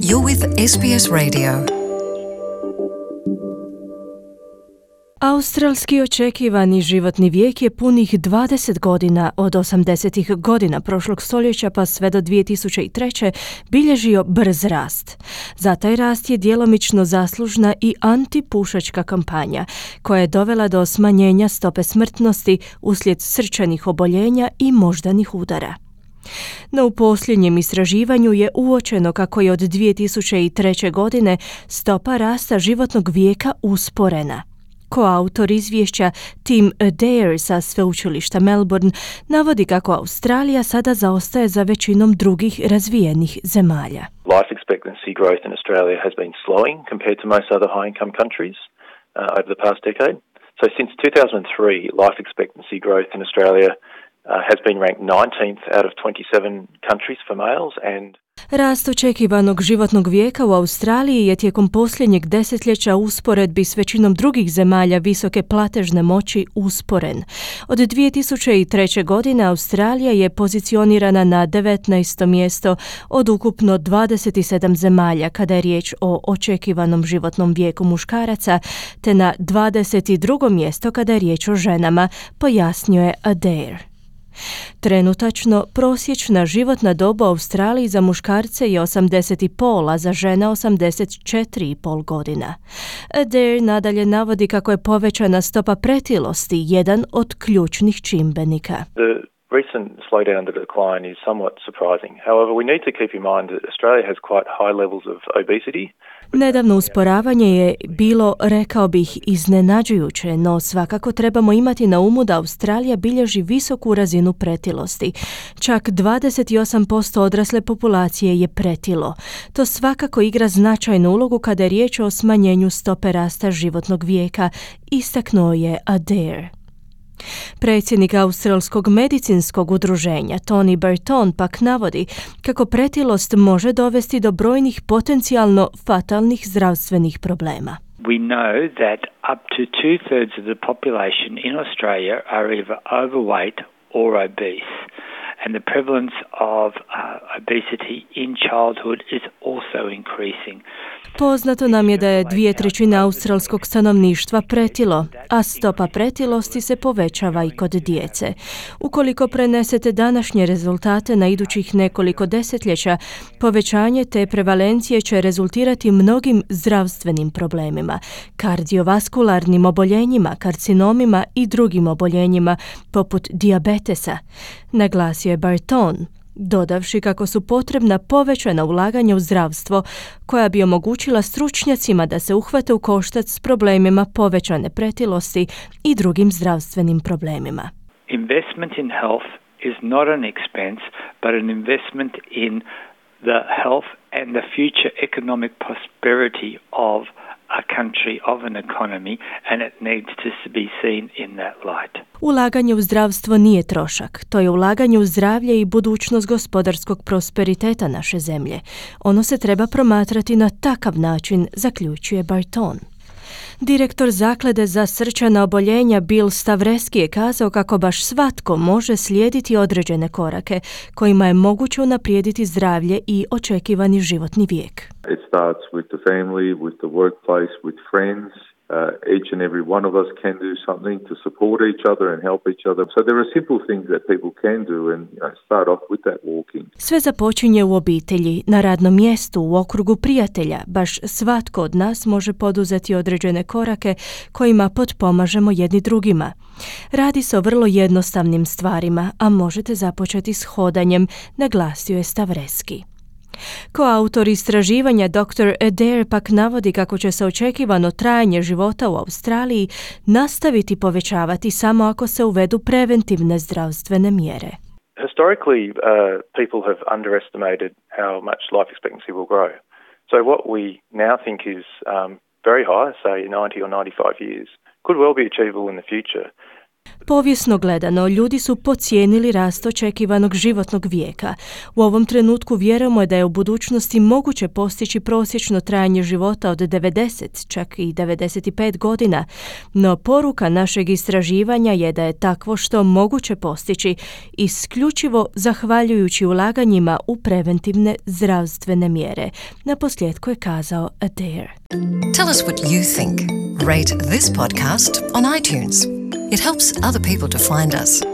You're with SBS Radio. Australski očekivani životni vijek je punih 20 godina od 80-ih godina prošlog stoljeća pa sve do 2003. bilježio brz rast. Za taj rast je djelomično zaslužna i antipušačka kampanja koja je dovela do smanjenja stope smrtnosti uslijed srčanih oboljenja i moždanih udara. No u posljednjem istraživanju je uočeno kako je od 2003. godine stopa rasta životnog vijeka usporena. Koautor izvješća Tim Adair sa sveučilišta Melbourne navodi kako Australija sada zaostaje za većinom drugih razvijenih zemalja. Life expectancy growth in Australia has been slowing compared to most other high-income countries over the past decade. So since 2003, life expectancy growth in Australia has been ranked 19th out of 27 countries for males and Rast očekivanog životnog vijeka u Australiji je tijekom posljednjeg desetljeća usporedbi s većinom drugih zemalja visoke platežne moći usporen. Od 2003. godine Australija je pozicionirana na 19. mjesto od ukupno 27 zemalja kada je riječ o očekivanom životnom vijeku muškaraca, te na 22. mjesto kada je riječ o ženama, pojasnio je Adair. Trenutačno, prosječna životna dob u Australiji za muškarce je 80,5, a za žene 84,5 godina. Adair nadalje navodi kako je povećana stopa pretilosti jedan od ključnih čimbenika. The recent slowdown to the decline is somewhat surprising. However, we need to keep in mind that Australia has quite high levels of obesity. Nedavno usporavanje je bilo, rekao bih, iznenađujuće, no svakako trebamo imati na umu da Australija bilježi visoku razinu pretilosti. Čak 28% odrasle populacije je pretilo. To svakako igra značajnu ulogu kada je riječ o smanjenju stope rasta životnog vijeka, istaknuo je Adair. Predsjednik Australskog medicinskog udruženja Tony Burton pak navodi kako pretilost može dovesti do brojnih potencijalno fatalnih zdravstvenih problema. We know that up to 2/3 of the population in Australia are either overweight or obese, and the prevalence of obesity in childhood is also increasing. Poznato nam je da je 2/3 australskog stanovništva pretilo, a stopa pretilosti se povećava i kod djece. Ukoliko prenesete današnje rezultate na idućih nekoliko desetljeća, povećanje te prevalencije će rezultirati mnogim zdravstvenim problemima, kardiovaskularnim oboljenjima, karcinomima i drugim oboljenjima poput dijabetesa, naglasio je Burton, dodavši kako su potrebna povećana ulaganja u zdravstvo koja bi omogućila stručnjacima da se uhvate u koštac s problemima povećane pretilosti i drugim zdravstvenim problemima. Investment in health is not an expense, but an investment in the health and the future economic prosperity of a country, of an economy, and it needs to be seen in that light. Ulaganje u zdravstvo nije trošak. To je ulaganje u zdravlje i budućnost gospodarskog prosperiteta naše zemlje. Ono se treba promatrati na takav način, zaključuje Burton. Direktor zaklade za srčana oboljenja Bill Stavreski je kazao kako baš svatko može slijediti određene korake kojima je moguće unaprijediti zdravlje i očekivani životni vijek. It starts with the family, with the workplace, with friends. Each and every one of us can do something to support each other and help each other. So there are simple things that people can do and start off with that walking. Sve započinje u obitelji, na radnom mjestu, u okrugu prijatelja. Baš svatko od nas može poduzeti određene korake kojima potpomažemo jedni drugima. Radi se o vrlo jednostavnim stvarima, a možete započeti s hodanjem, naglasio je Stavreski. Koautor istraživanja Dr. Adair pak navodi kako će se očekivano trajanje života u Australiji nastaviti povećavati samo ako se uvedu preventivne zdravstvene mjere. Historically, people have underestimated how much life expectancy will grow. So what we now think is very high, say 90 or 95 years, could well be achievable in the future. Povijesno gledano, ljudi su podcijenili rast očekivanog životnog vijeka. U ovom trenutku vjerujemo da je u budućnosti moguće postići prosječno trajanje života od 90, čak i 95 godina, no poruka našeg istraživanja je da je takvo što moguće postići isključivo zahvaljujući ulaganjima u preventivne zdravstvene mjere. Naposljetku je kazao Adair. Tell us what you think. Rate this podcast on iTunes. It helps other people to find us.